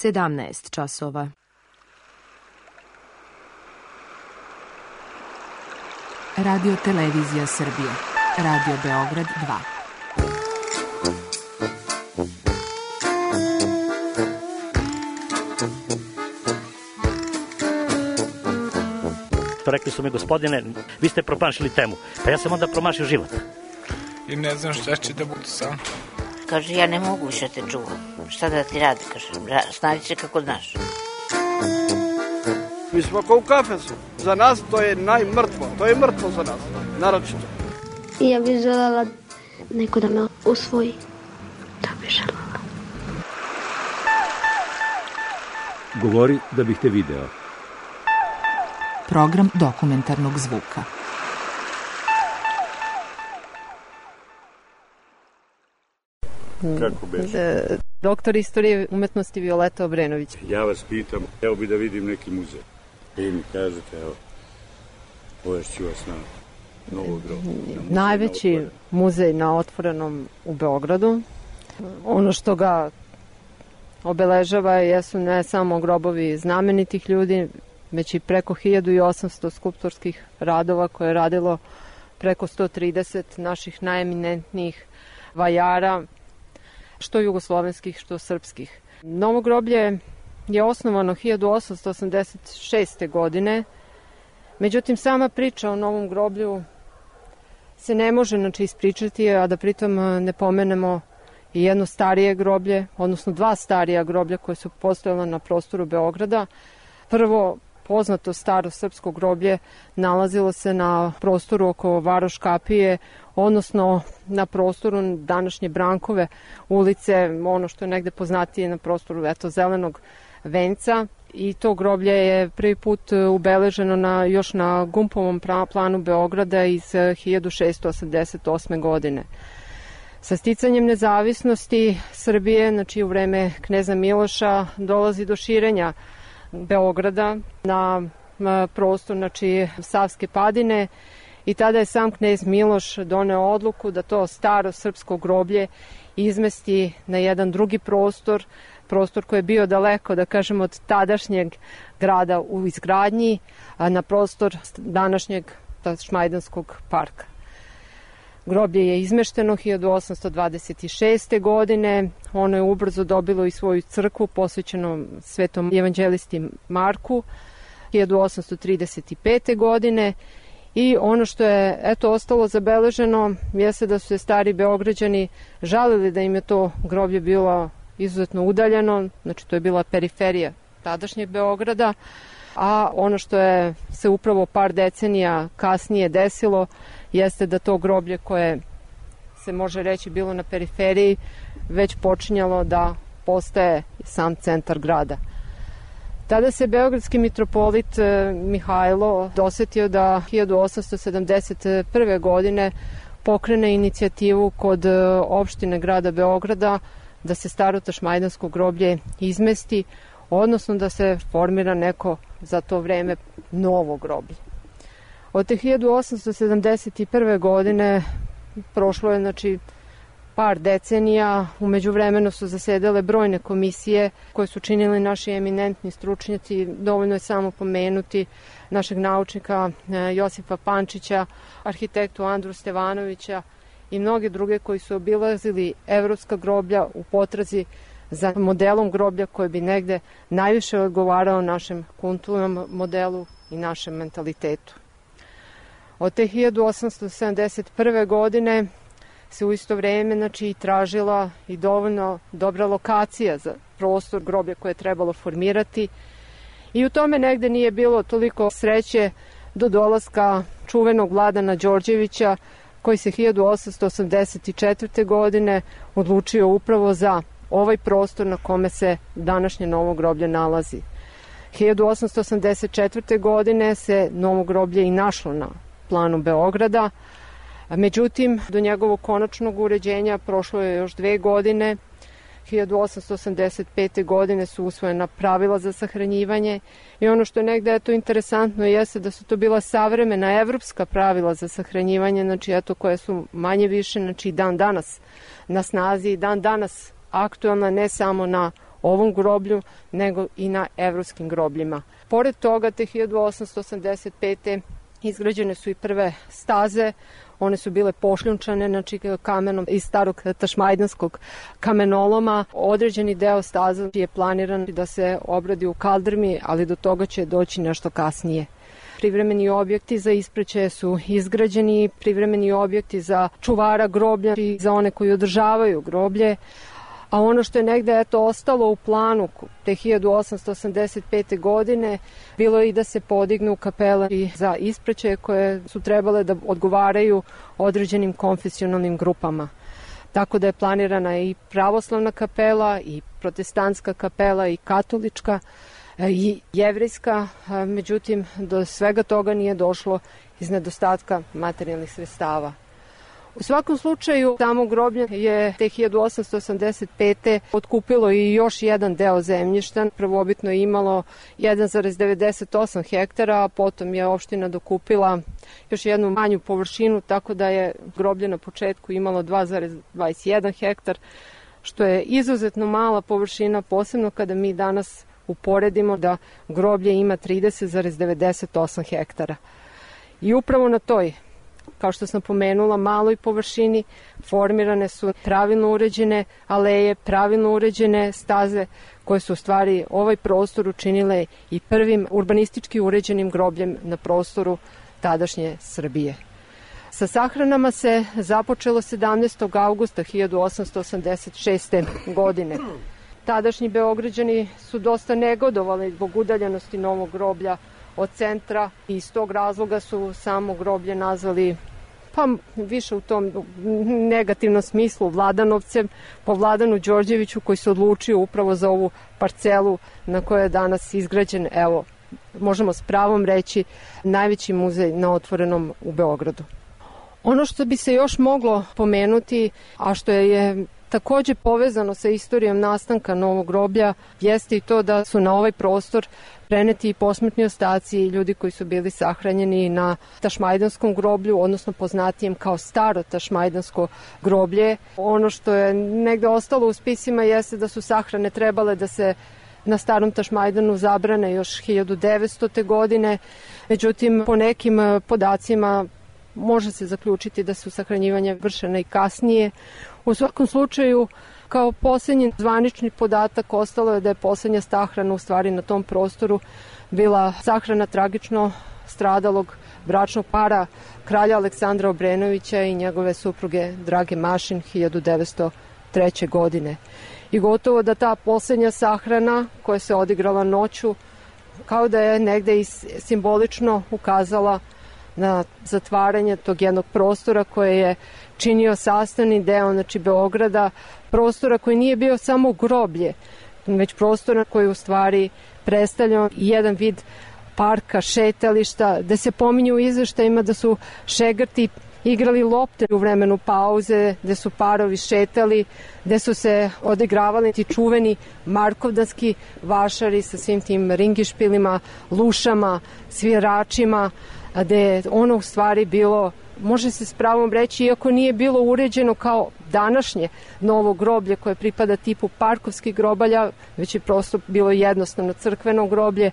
17 časova. Radio Televizija Srbije. Radio Beograd 2. Rekli su mi, gospodine, vi ste promašili temu. Pa ja sam onda promašio život. I ne znam šta će da bude sam. Kaže, ja ne mogu više te čuvam. Šta da ti radi, kaže, snađi se kako znaš. Mi smo kao u kafesu. Za nas to je najmrtvo. To je mrtvo za nas, naročito. I ja bih želela neko da me usvoji. To bih želela. Govori da bih te video. Program dokumentarnog zvuka. Kako beše? Doktor istorije umetnosti Violeta Obrenović. Ja vas pitam, evo bi da vidim neki muzej. Vi mi kažete, evo, povešću vas na Novo groblje. Najveći muzej na otvorenom u Beogradu. Ono što ga obeležava jesu ne samo grobovi znamenitih ljudi, već i preko 1800 skulptorskih radova koje je radilo preko 130 naših najeminentnijih vajara, što jugoslovenskih, što srpskih. Novo groblje je osnovano 1886. godine, međutim sama priča o Novom groblju se ne može ispričati, a da pritom ne pomenemo i jedno starije groblje, odnosno dva starija groblja koje su postojala na prostoru Beograda. Prvo poznato staro srpsko groblje nalazilo se na prostoru oko Varoš kapije, odnosno na prostoru današnje Brankove ulice, ono što je negde poznatije na prostoru Zelenog venca. I to groblje je prvi put ubeleženo još na Gumpovom planu Beograda iz 1688. godine. Sa sticanjem nezavisnosti Srbije, znači u vreme kneza Miloša, dolazi do širenja Beograda na prostor, znači Savske padine, i tada je sam knez Miloš doneo odluku da to staro srpsko groblje izmesti na jedan drugi prostor koji je bio daleko, da kažemo, od tadašnjeg grada u izgradnji, na prostor današnjeg Šmajdanskog parka. Groblje je izmešteno 1826. godine, ono je ubrzo dobilo i svoju crkvu posvećenu svetom evanđelisti Marku 1835. godine. I ono što je ostalo zabeleženo jeste da su se stari Beograđani žalili da im je to groblje bilo izuzetno udaljeno, znači to je bila periferija tadašnjeg Beograda, a ono što je se upravo par decenija kasnije desilo jeste da to groblje koje se može reći bilo na periferiji već počinjalo da postaje sam centar grada. Tada se beogradski mitropolit Mihajlo dosetio da 1871. godine pokrene inicijativu kod opštine grada Beograda da se staro tašmajdansko groblje izmesti, odnosno da se formira neko za to vreme novo groblje. Od te 1871. godine prošlo je par decenija, u međuvremenu su zasedale brojne komisije koje su činili naši eminentni stručnjaci, dovoljno je samo pomenuti našeg naučnika Josipa Pančića, arhitektu Andru Stevanovića i mnoge druge koji su obilazili evropska groblja u potrazi za modelom groblja koji bi negde najviše odgovarao našem kulturnom modelu i našem mentalitetu. Od te 1871. godine se u isto vreme tražila i dovoljno dobra lokacija za prostor groblja koje je trebalo formirati, i u tome negde nije bilo toliko sreće do dolaska čuvenog Vladana Đorđevića, koji se 1884. godine odlučio upravo za ovaj prostor na kome se današnje Novo groblje nalazi. 1884. godine se Novo groblje i našlo na planu Beograda, međutim, do njegovog konačnog uređenja prošlo je još 2 godine. 1885. godine su usvojena pravila za sahranjivanje, i ono što je negde interesantno jeste da su to bila savremena evropska pravila za sahranjivanje, koje su manje više dan danas na snazi i dan danas aktuelna, ne samo na ovom groblju, nego i na evropskim grobljima. Pored toga, te 1885. izgrađene su i prve staze. One su bile pošljunčane, znači kamenom iz starog tašmajdanskog kamenoloma. Određeni deo staza je planiran da se obradi u kaldrmi, ali do toga će doći nešto kasnije. Privremeni objekti za ispraćaje su izgrađeni, privremeni objekti za čuvara groblja i za one koji održavaju groblje. A ono što je negde ostalo u planu te 1885. godine bilo je i da se podignu kapele za ispraćaje koje su trebale da odgovaraju određenim konfesionalnim grupama. Tako da je planirana i pravoslavna kapela, i protestantska kapela, i katolička, i jevrejska, međutim do svega toga nije došlo iz nedostatka materijalnih sredstava. U svakom slučaju, tamo groblje je te 1885. otkupilo i još jedan deo zemljišta. Prvobitno je imalo 1,98 hektara, a potom je opština dokupila još jednu manju površinu, tako da je groblje na početku imalo 2,21 hektar, što je izuzetno mala površina, posebno kada mi danas uporedimo da groblje ima 30,98 hektara. I upravo na toj, kao što sam pomenula, maloj površini formirane su pravilno uređene aleje, pravilno uređene staze koje su u stvari ovaj prostor učinile i prvim urbanistički uređenim grobljem na prostoru tadašnje Srbije. Sa sahranama se započelo 17. augusta 1886. godine. Tadašnji Beograđani su dosta negodovali zbog udaljenosti novog groblja od centra i iz tog razloga su samo groblje nazvali, pa više u tom negativnom smislu, Vladanovcem, po Vladanu Đorđeviću, koji se odlučio upravo za ovu parcelu na kojoj je danas izgrađen, evo, možemo s pravom reći, najveći muzej na otvorenom u Beogradu. Ono što bi se još moglo pomenuti, a što je takođe povezano sa istorijom nastanka novog groblja, jeste i to da su na ovaj prostor preneti i posmrtni ostaci i ljudi koji su bili sahranjeni na tašmajdanskom groblju, odnosno poznatijem kao staro tašmajdansko groblje. Ono što je negde ostalo u spisima jeste da su sahrane trebale da se na starom Tašmajdanu zabrane još 1900. godine, međutim po nekim podacima može se zaključiti da su sahranjivanja vršena i kasnije. U svakom slučaju, kao posljednji zvanični podatak ostalo je da je posljednja sahrana u stvari na tom prostoru bila sahrana tragično stradalog bračnog para kralja Aleksandra Obrenovića i njegove supruge Drage Mašin 1903. godine. I gotovo da ta posljednja sahrana koja se odigrala noću kao da je negde i simbolično ukazala na zatvaranje tog jednog prostora koje je činio sastavni deo, znači Beograda, prostora koji nije bio samo groblje, već prostora koji u stvari predstavlja jedan vid parka, šetališta, da se pominju u izveštajima da su šegrti igrali lopte u vremenu pauze, gde su parovi šetali, gde su se odigravali ti čuveni markovdanski vašari sa svim tim ringišpilima, lušama, sviračima, gde je ono u stvari bilo, može se s pravom reći, iako nije bilo uređeno kao današnje novo groblje koje pripada tipu parkovskih grobalja, već je prosto bilo jednostavno crkveno groblje,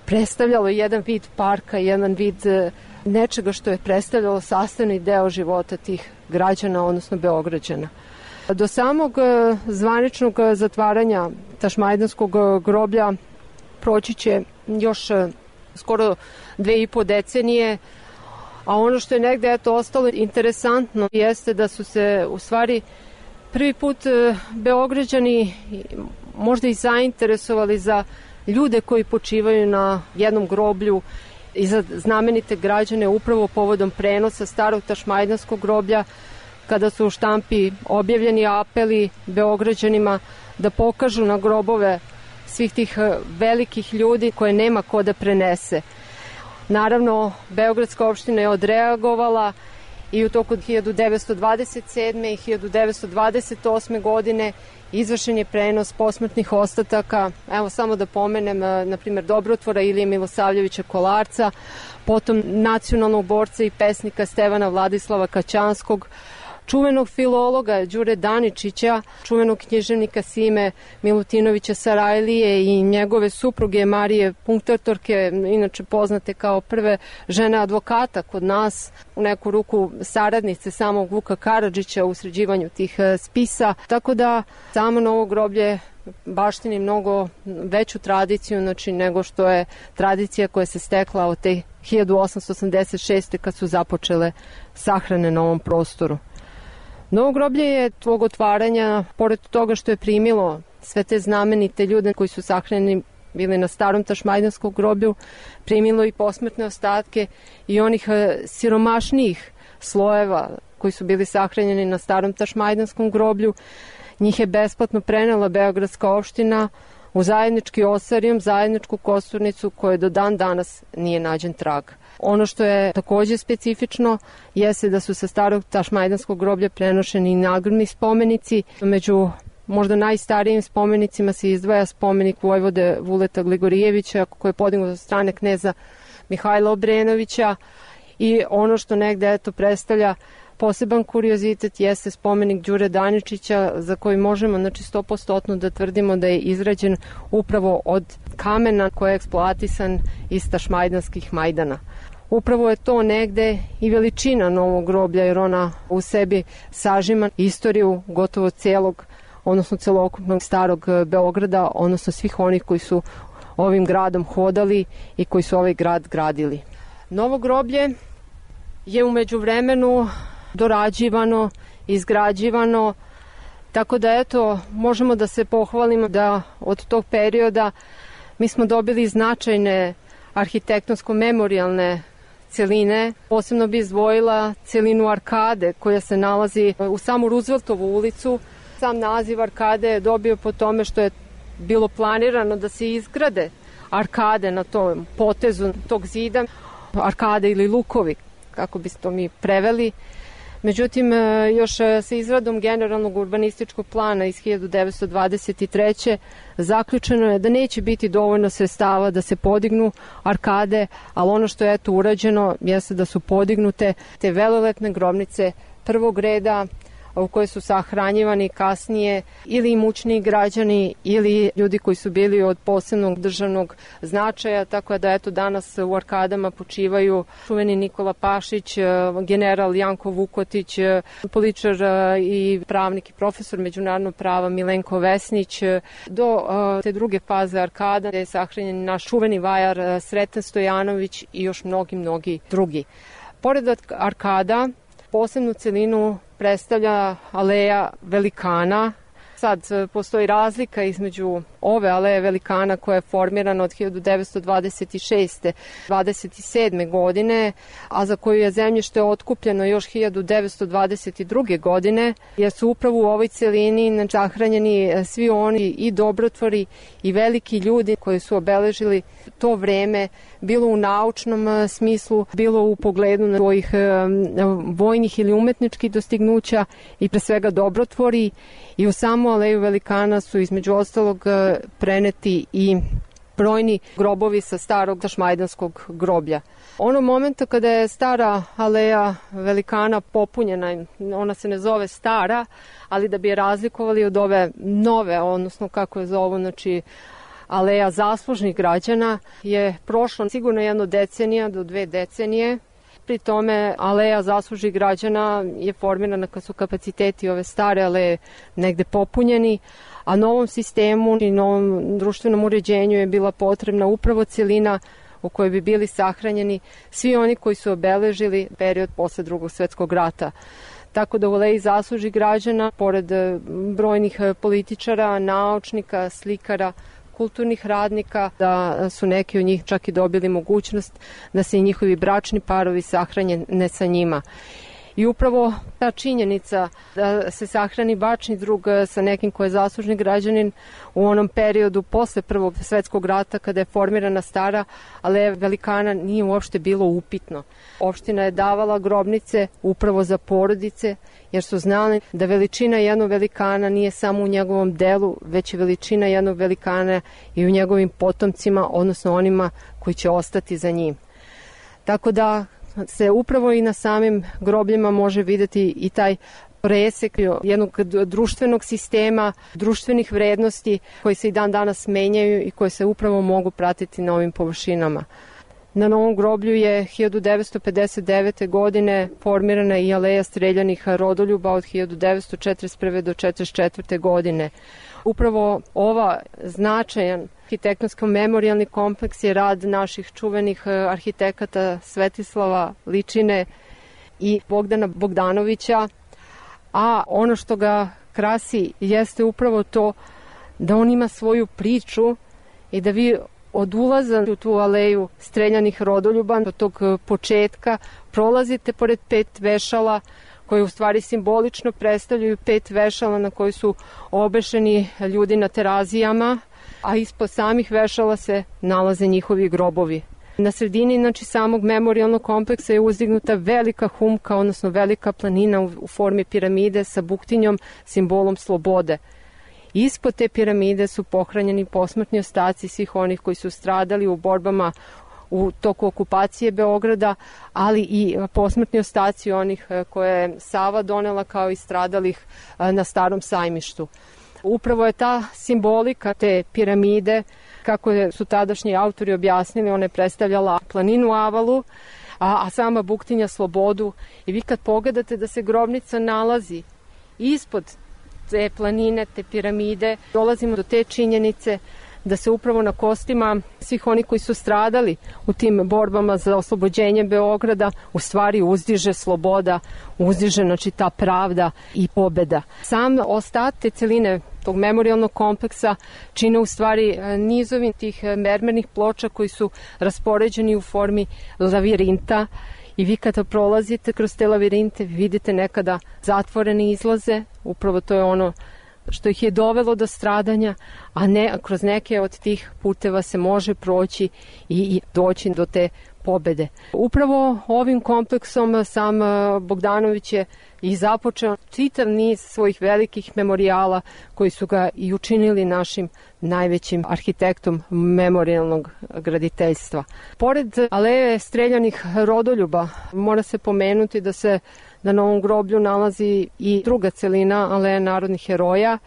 predstavljalo jedan vid parka, jedan vid nečega što je predstavljalo sastavni deo života tih građana, odnosno Beograđana. Do samog zvaničnog zatvaranja Tašmajdanskog groblja proći će još skoro 2,5 decenije, a ono što je negde ostalo interesantno jeste da su se u stvari prvi put Beograđani možda i zainteresovali za ljude koji počivaju na jednom groblju i za znamenite građane upravo povodom prenosa starog Tašmajdanskog groblja, kada su u štampi objavljeni apeli Beograđanima da pokažu na grobove svih tih velikih ljudi koje nema ko da prenese. Naravno, Beogradska opština je odreagovala i u toku 1927. i 1928. godine izvršen je prenos posmrtnih ostataka, evo samo da pomenem, na primjer, dobrotvora Ilije Milosavljevića Kolarca, potom nacionalnog borca i pesnika Stevana Vladislava Kaćanskog, čuvenog filologa Đure Daničića, čuvenog književnika Sime Milutinovića Sarajlije i njegove supruge Marije Punktatorke, inače poznate kao prve žene advokata kod nas, u neku ruku saradnice samog Vuka Karadžića u sređivanju tih spisa. Tako da samo Novo groblje baštini mnogo veću tradiciju, znači, nego što je tradicija koja se stekla od te 1886. kad su započele sahrane na ovom prostoru. Novo groblje je tvog otvaranja, pored toga što je primilo sve te znamenite ljude koji su sahranjeni bili na starom Tašmajdanskom groblju, primilo i posmrtne ostatke i onih siromašnijih slojeva koji su bili sahranjeni na starom Tašmajdanskom groblju. Njih je besplatno prenela Beogradska opština u zajednički osarijum, zajedničku kosturnicu koje do dan danas nije nađen trag. Ono što je takođe specifično jeste da su sa starog Tašmajdanskog groblja prenošeni i nagradni spomenici. Među možda najstarijim spomenicima se izdvaja spomenik vojvode Vuleta Gligorijevića koji je podignut od strane kneza Mihajla Obrenovića i ono što negde predstavlja poseban kuriozitet jeste spomenik Đure Daničića za koji možemo 100% da tvrdimo da je izrađen upravo od kamena koji je eksploatisan iz tašmajdanskih majdana. Upravo je to negde i veličina Novog groblja jer ona u sebi sažima istoriju gotovo celokupnog starog Beograda, odnosno svih onih koji su ovim gradom hodali i koji su ovaj grad gradili. Novo groblje je umeđu vremenu dorađivano, izgrađivano, tako da možemo da se pohvalimo da od tog perioda mi smo dobili značajne arhitektonsko-memorijalne celine. Posebno bi izdvojila celinu Arkade koja se nalazi u samu Rooseveltovu ulicu. Sam naziv Arkade je dobio po tome što je bilo planirano da se izgrade arkade na tom potezu tog zida, arkade ili lukovi, kako bi to mi preveli. Međutim, još sa izradom generalnog urbanističkog plana iz 1923. zaključeno je da neće biti dovoljno sredstava da se podignu arkade, ali ono što je urađeno jeste da su podignute te velelepne grobnice prvog reda u kojoj su sahranjivani kasnije ili imućniji građani ili ljudi koji su bili od posebnog državnog značaja, tako da danas u arkadama počivaju čuveni Nikola Pašić, general Janko Vukotić, političar i pravnik i profesor međunarodnog prava Milenko Vesnić, do te druge faze arkada gde je sahranjen naš čuveni vajar Sreten Stojanović i još mnogi drugi. Pored arkada, posebnu celinu predstavlja aleja velikana. Sad postoji razlika između ove aleje velikana koja je formirana od 1926. 27. godine, a za koju je zemljište otkupljeno još 1922. godine, jer su upravo u ovoj celini sahranjeni svi oni i dobrotvori i veliki ljudi koji su obeležili to vreme, bilo u naučnom smislu, bilo u pogledu svojih vojnih ili umetničkih dostignuća i pre svega dobrotvori. I u samu aleju velikana su između ostalog preneti i brojni grobovi sa starog Tašmajdanskog groblja. Onog momenta kada je stara aleja velikana popunjena, ona se ne zove stara, ali da bi je razlikovali od ove nove, odnosno kako je zovu, aleja zaslužnih građana, je prošlo sigurno 1 decenija do 2 decenije. Pri tome aleja zaslužnih građana je formirana kad su kapaciteti ove stare aleje negde popunjeni, a novom sistemu i novom društvenom uređenju je bila potrebna upravo celina u kojoj bi bili sahranjeni svi oni koji su obeležili period posle Drugog svetskog rata. Tako da u aleji zaslužnih građana, pored brojnih političara, naučnika, slikara, kulturnih radnika, da su neki od njih čak i dobili mogućnost da se i njihovi bračni parovi sahrane sa njima. I upravo ta činjenica da se sahrani bračni drug sa nekim ko je zaslužni građanin u onom periodu posle Prvog svetskog rata kada je formirana stara aleja velikana nije uopšte bilo upitno. Opština je davala grobnice upravo za porodice jer su znali da veličina jednog velikana nije samo u njegovom delu, već i veličina jednog velikana i u njegovim potomcima, odnosno onima koji će ostati za njim. Tako da se upravo i na samim grobljima može videti i taj presek jednog društvenog sistema, društvenih vrednosti koji se i dan danas menjaju i koje se upravo mogu pratiti na ovim površinama. Na Novom groblju je 1959. godine formirana i aleja streljanih rodoljuba od 1941. do 1944. godine. Upravo ova značajan arhitektonsko-memorijalni kompleks je rad naših čuvenih arhitekata Svetislava Ličine i Bogdana Bogdanovića, a ono što ga krasi jeste upravo to da on ima svoju priču i da vi od ulaza u tu aleju streljanih rodoljuba do tog početka prolazite pored 5 vešala koje u stvari simbolično predstavljaju 5 vešala na koji su obešeni ljudi na terazijama, a ispod samih vešala se nalaze njihovi grobovi. Na sredini samog memorijalnog kompleksa je uzdignuta velika humka, odnosno velika planina u formi piramide sa buktinjom, simbolom slobode. Ispod te piramide su pohranjeni posmrtni ostaci svih onih koji su stradali u borbama u toku okupacije Beograda, ali i posmrtni ostaci onih koje je Sava donela kao i stradalih na Starom sajmištu. Upravo je ta simbolika te piramide, kako su tadašnji autori objasnili, ona je predstavljala planinu Avalu, a sama buktinja slobodu. I vi kad pogledate da se grobnica nalazi ispod te planine, te piramide, dolazimo do te činjenice da se upravo na kostima svih oni koji su stradali u tim borbama za oslobođenje Beograda u stvari uzdiže sloboda, uzdiže ta pravda i pobeda. Sam ostatak te celine tog memorijalnog kompleksa čine u stvari nizovi tih mermernih ploča koji su raspoređeni u formi lavirinta. I vi kada prolazite kroz te lavirinte vidite nekada zatvorene izlaze, upravo to je ono što ih je dovelo do stradanja, a ne kroz neke od tih puteva se može proći i doći do te pobede. Upravo ovim kompleksom sam Bogdanović je i započeo čitav niz svojih velikih memorijala koji su ga i učinili našim najvećim arhitektom memorijalnog graditeljstva. Pored aleje streljanih rodoljuba mora se pomenuti da se na Novom groblju nalazi i druga celina, aleja narodnih heroja,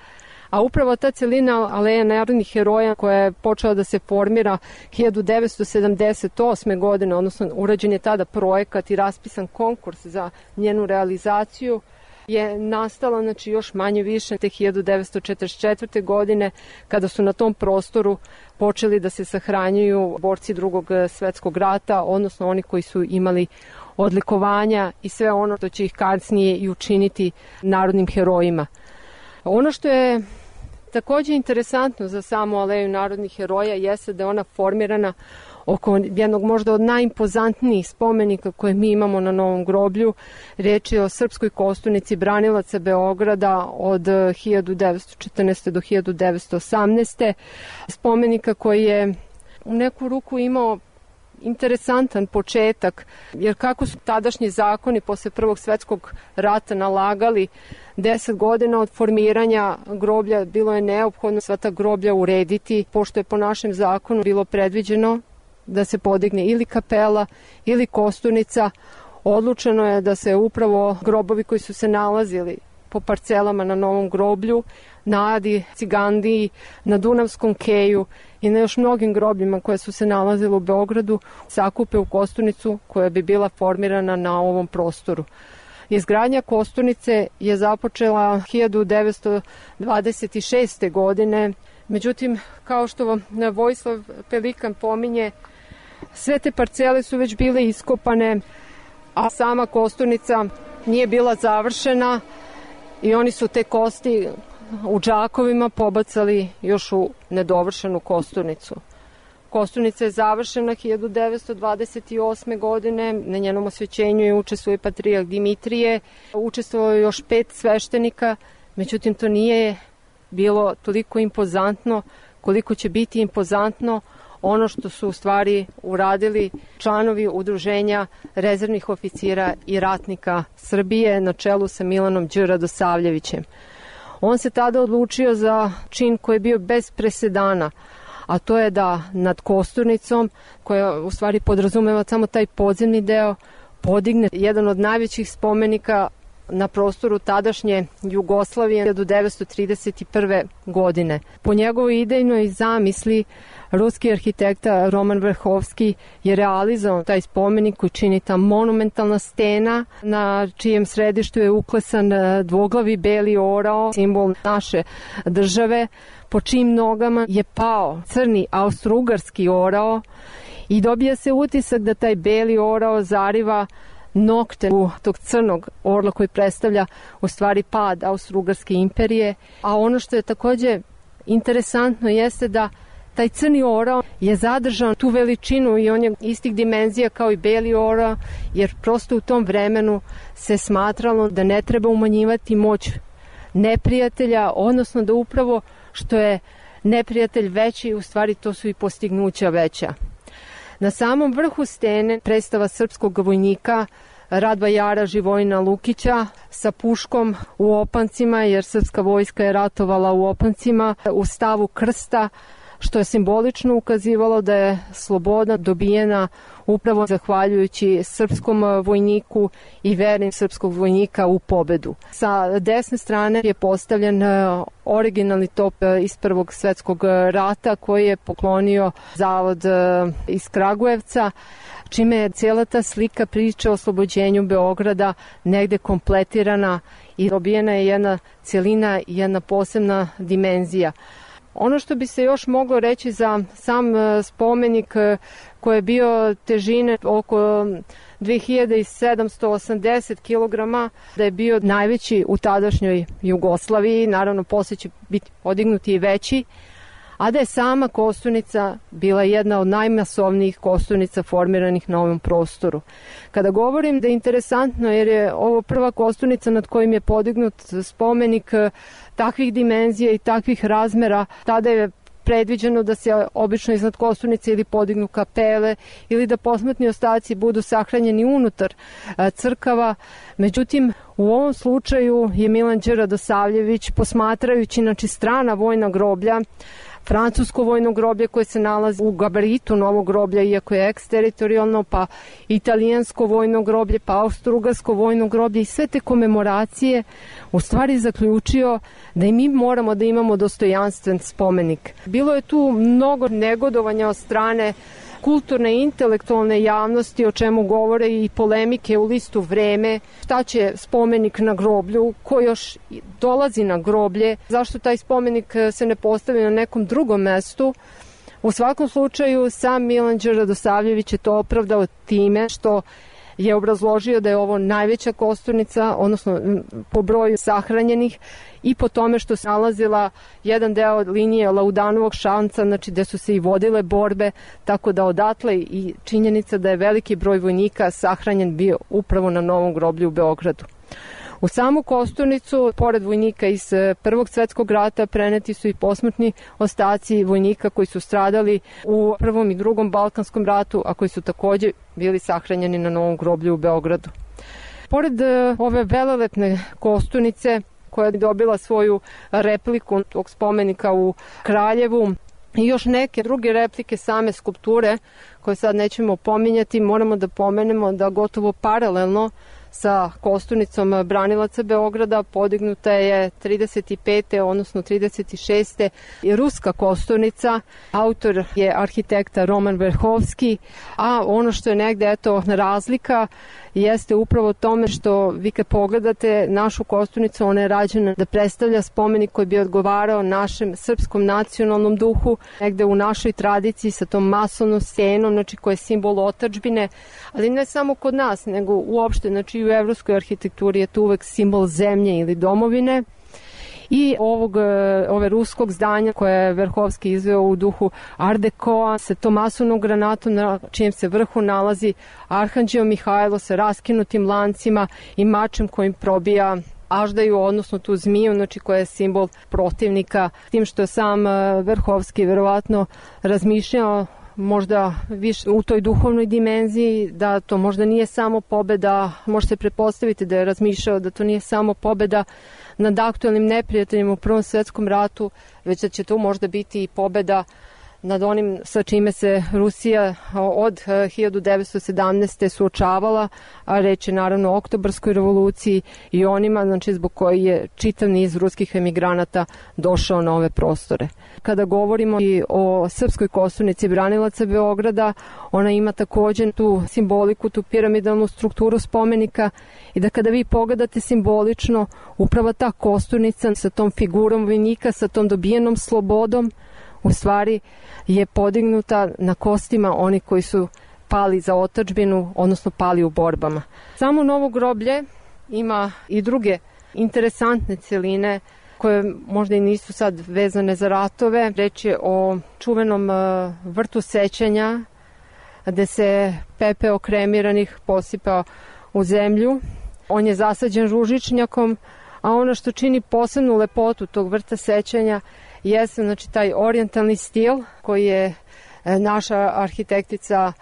a upravo ta celina aleja narodnih heroja koja je počela da se formira 1978. godine, odnosno urađen je tada projekat i raspisan konkurs za njenu realizaciju, je nastala još manje više te 1944. godine kada su na tom prostoru počeli da se sahranjuju borci Drugog svetskog rata, odnosno oni koji su imali odlikovanja i sve ono što će ih kasnije i učiniti narodnim herojima. Ono što je takođe interesantno za samu aleju narodnih heroja jeste da je ona formirana oko jednog možda od najimpozantnijih spomenika koje mi imamo na Novom groblju. Reč je o srpskoj kosturnici branilaca Beograda od 1914. do 1918. Spomenika koji je u neku ruku imao interesantan početak, jer kako su tadašnji zakoni posle Prvog svetskog rata nalagali 10 godina od formiranja groblja, bilo je neophodno sva ta groblja urediti, pošto je po našem zakonu bilo predviđeno da se podigne ili kapela ili kosturnica. Odlučeno je da se upravo grobovi koji su se nalazili po parcelama na Novom groblju, na Adi, Cigandiji, na Dunavskom keju i na još mnogim grobljima koje su se nalazile u Beogradu sakupe u kosturnicu koja bi bila formirana na ovom prostoru. Izgradnja kosturnice je započela 1926. godine, međutim, kao što Vojislav Pelikan pominje, sve te parcele su već bile iskopane, a sama kosturnica nije bila završena i oni su te kosti u džakovima pobacali još u nedovršenu kosturnicu. Kosturnica je završena 1928. godine, na njenom osvećenju je učestvovao patrijarh Dimitrije, učestvovao je još 5 sveštenika, međutim to nije bilo toliko impozantno koliko će biti impozantno ono što su u stvari uradili članovi udruženja rezervnih oficira i ratnika Srbije na čelu sa Milanom Đ. Radosavljevićem. On se tada odlučio za čin koji je bio bez presedana, a to je da nad kosturnicom, koja u stvari podrazumeva samo taj podzemni deo, podigne jedan od najvećih spomenika na prostoru tadašnje Jugoslavije do 1931. godine. Po njegovoj idejnoj zamisli ruski arhitekta Roman Verhovski je realizovao taj spomenik koji čini ta monumentalna stena na čijem središtu je uklesan dvoglavi beli orao, simbol naše države, po čijim nogama je pao crni austrougarski orao i dobija se utisak da taj beli orao zariva nokte u tog crnog orla koji predstavlja u stvari pad Austrougarske imperije. A ono što je takođe interesantno jeste da taj crni orao je zadržao tu veličinu i on je istih dimenzija kao i beli orao, jer prosto u tom vremenu se smatralo da ne treba umanjivati moć neprijatelja, odnosno da upravo što je neprijatelj veći, u stvari to su i postignuća veća. Na samom vrhu stene predstava srpskog vojnika Radvajara Živojina Lukića sa puškom u opancima, jer srpska vojska je ratovala u opancima, u stavu krsta, što je simbolično ukazivalo da je sloboda dobijena upravo zahvaljujući srpskom vojniku i veri srpskog vojnika u pobedu. Sa desne strane je postavljen originalni top iz Prvog svetskog rata koji je poklonio Zavod iz Kragujevca, čime je cijela ta slika priče o oslobođenju Beograda negde kompletirana i dobijena je jedna celina i jedna posebna dimenzija. Ono što bi se još moglo reći za sam spomenik koji je bio težine oko 2780 kg, da je bio najveći u tadašnjoj Jugoslaviji, naravno posle će biti podignuti i veći, a da je sama kosturnica bila jedna od najmasovnijih kosturnica formiranih na ovom prostoru. Kada govorim da je interesantno jer je ovo prva kosturnica nad kojim je podignut spomenik takvih dimenzija i takvih razmera, tada je predviđeno da se obično iznad kosturnice ili podignu kapele ili da posmrtni ostaci budu sahranjeni unutar crkava. Međutim, u ovom slučaju je Milan Đ. Radosavljević, posmatrajući strana vojna groblja, francusko vojno groblje koje se nalazi u gabaritu novog groblja, iako je eksteritorijalno, pa italijansko vojno groblje, pa austrougarsko vojno groblje i sve te komemoracije, u stvari zaključio da i mi moramo da imamo dostojanstven spomenik. Bilo je tu mnogo negodovanja od strane kulturne i intelektualne javnosti, o čemu govore i polemike u listu Vreme, šta će spomenik na groblju, ko još dolazi na groblje, zašto taj spomenik se ne postavi na nekom drugom mestu. U svakom slučaju, sam Milan Đ. Radosavljević je to opravdao time što je obrazložio da je ovo najveća kosturnica, odnosno po broju sahranjenih i po tome što se nalazila jedan deo linije Laudanovog šanca, znači gde su se i vodile borbe, tako da odatle i činjenica da je veliki broj vojnika sahranjen bio upravo na novom groblju u Beogradu. U samu kosturnicu, pored vojnika iz Prvog svetskog rata, preneti su i posmrtni ostaci vojnika koji su stradali u Prvom i Drugom Balkanskom ratu, a koji su takođe bili sahranjeni na novom groblju u Beogradu. Pored ove velelepne kosturnice, koja je dobila svoju repliku tog spomenika u Kraljevu, i još neke druge replike same skulpture, koje sad nećemo pominjati, moramo da pomenemo da gotovo paralelno sa kosturnicom branilaca Beograda podignuta je 35. odnosno 36. i ruska kosturnica. Autor je arhitekta Roman Verhovski, a ono što je negde razlika jeste upravo tome što vi kad pogledate našu kosturnicu, ona je rađena da predstavlja spomenik koji bi odgovarao našem srpskom nacionalnom duhu, negde u našoj tradiciji sa tom masovnom stenom, znači koja je simbol otadžbine, ali ne samo kod nas, nego uopšte, znači i u evropskoj arhitekturi je to uvek simbol zemlje ili domovine. I ove ruskog zdanja koje je Verhovski izveo u duhu Art Decoa sa tom masovnom granatom na čijem se vrhu nalazi Arhanđeo Mihajlo sa raskinutim lancima i mačem kojim probija aždaju, odnosno tu zmiju, znači koja je simbol protivnika, tim što je sam Verhovski verovatno razmišljao možda više u toj duhovnoj dimenziji, da to možda nije samo pobeda, može se pretpostaviti da je razmišljao da to nije samo pobeda nad aktuelnim neprijateljima u Prvom svetskom ratu, već da će to možda biti i pobeda nad onim sa čime se Rusija od 1917. suočavala, a reč je naravno o Oktobarskoj revoluciji i onima, znači zbog koji je čitav niz ruskih emigranata došao na ove prostore. Kada govorimo i o srpskoj kosturnici branilaca Beograda, ona ima također tu simboliku, tu piramidalnu strukturu spomenika i da kada vi pogledate simbolično, upravo ta kosturnica sa tom figurom vojnika, sa tom dobijenom slobodom, u stvari je podignuta na kostima oni koji su pali za otadžbinu, odnosno pali u borbama. Samo Novo groblje ima i druge interesantne celine koje možda i nisu sad vezane za ratove. Reč je o čuvenom vrtu sećanja gde se pepeo kremiranih posipa u zemlju. On je zasađen ružičnjakom, a ono što čini posebnu lepotu tog vrta sećanja jeste, znači, taj orijentalni stil koji je naša arhitektica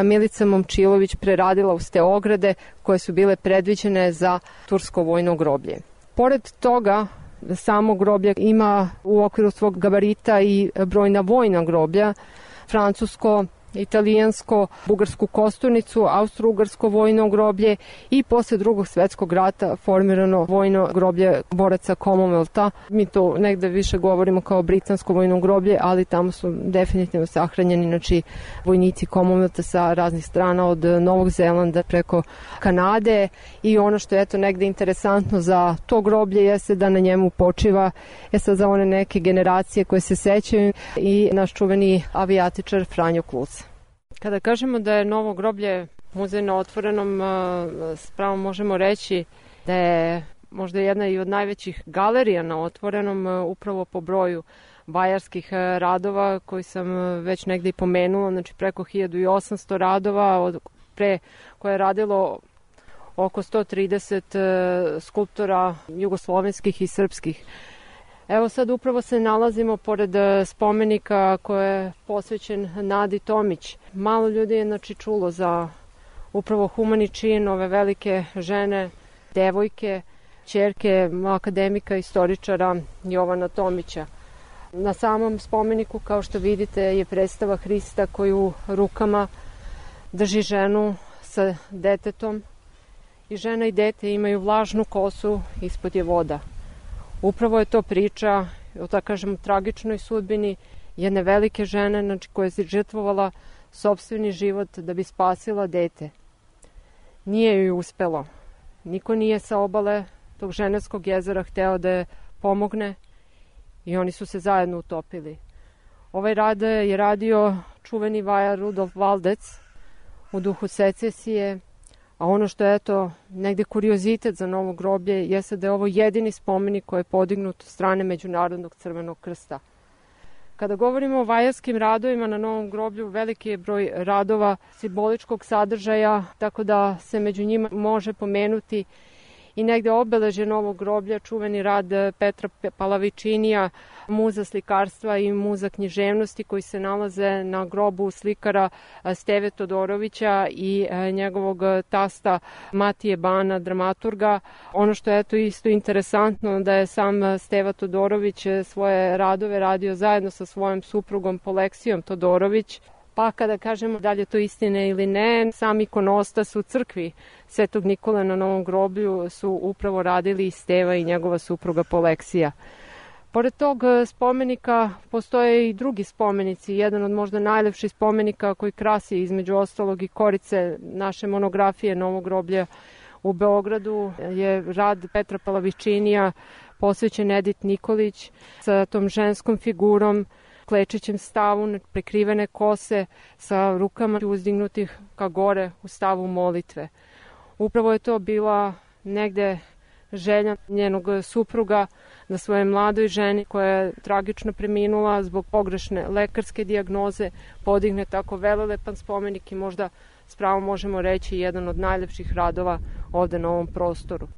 Milica Momčilović preradila uz te ograde koje su bile predviđene za tursko vojno groblje. Pored toga, samo groblje ima u okviru svog gabarita i brojna vojna groblja, francusko, italijansko, bugarsku kosturnicu, austro-ugarsko vojno groblje i posle Drugog svetskog rata formirano vojno groblje boraca Commonwealtha. Mi to negde više govorimo kao britansko vojno groblje, ali tamo su definitivno sahranjeni, znači, vojnici Commonwealtha sa raznih strana, od Novog Zelanda preko Kanade, i ono što je eto negde interesantno za to groblje jeste da na njemu počiva sad za one neke generacije koje se sećaju i naš čuveni avijatičar Franjo Kluc. Kada kažemo da je Novo groblje muzej na otvorenom, spravo možemo reći da je možda jedna i od najvećih galerija na otvorenom, upravo po broju vajarskih radova koji sam već negde i pomenula, znači preko 1800 radova, pre koje je radilo oko 130 skulptora jugoslovenskih i srpskih. Evo sad upravo se nalazimo pored spomenika koji je posvećen Nadi Tomić. Malo ljudi je, znači, čulo za upravo humani čin ove velike žene, devojke, ćerke akademika, istoričara Jovana Tomića. Na samom spomeniku, kao što vidite, je predstava Hrista koji u rukama drži ženu sa detetom i žena i dete imaju vlažnu kosu, ispod je voda. Upravo je to priča o, tako kažem, tragičnoj sudbini jedne velike žene, znači, koja je žrtvovala sopstveni život da bi spasila dete. Nije joj uspelo. Niko nije sa obale tog Ženevskog jezera hteo da je pomogne i oni su se zajedno utopili. Ovaj rad je radio čuveni vajar Rudolf Valdec u duhu secesije, a ono što je eto negde kuriozitet za Novo groblje jeste da je ovo jedini spomenik koji je podignut od strane Međunarodnog crvenog krsta. Kada govorimo o vajarskim radovima na Novom groblju, veliki je broj radova simboličkog sadržaja, tako da se među njima može pomenuti i negde obeležje Novog groblja, čuveni rad Petra Palavičinija, muza slikarstva i muza književnosti, koji se nalaze na grobu slikara Steve Todorovića i njegovog tasta Matije Bana, dramaturga. Ono što je eto isto interesantno da je sam Steva Todorović svoje radove radio zajedno sa svojom suprugom Poleksijom Todorović. Pa kada kažemo da li je to istine ili ne, sam ikonostas u crkvi Svetog Nikole na Novom groblju su upravo radili i Steva i njegova supruga Poleksija. Pored tog spomenika postoje i drugi spomenici. Jedan od možda najlepših spomenika koji krasi između ostalog i korice naše monografije Novog groblja u Beogradu je rad Petra Palavičinija posvećen Edit Nikolić sa tom ženskom figurom, klečećem stavu, prekrivene kose sa rukama uzdignutih ka gore u stavu molitve. Upravo je to bila negde želja njenog supruga da svoje mladoj ženi koja je tragično preminula zbog pogrešne lekarske dijagnoze podigne tako velelepan spomenik i možda s pravom možemo reći jedan od najlepših radova ovde na ovom prostoru.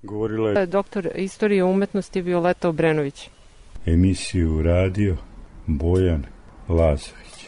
Govorila je doktor istorije umetnosti Violeta Obrenović. Emisiju radio Bojan Lazović.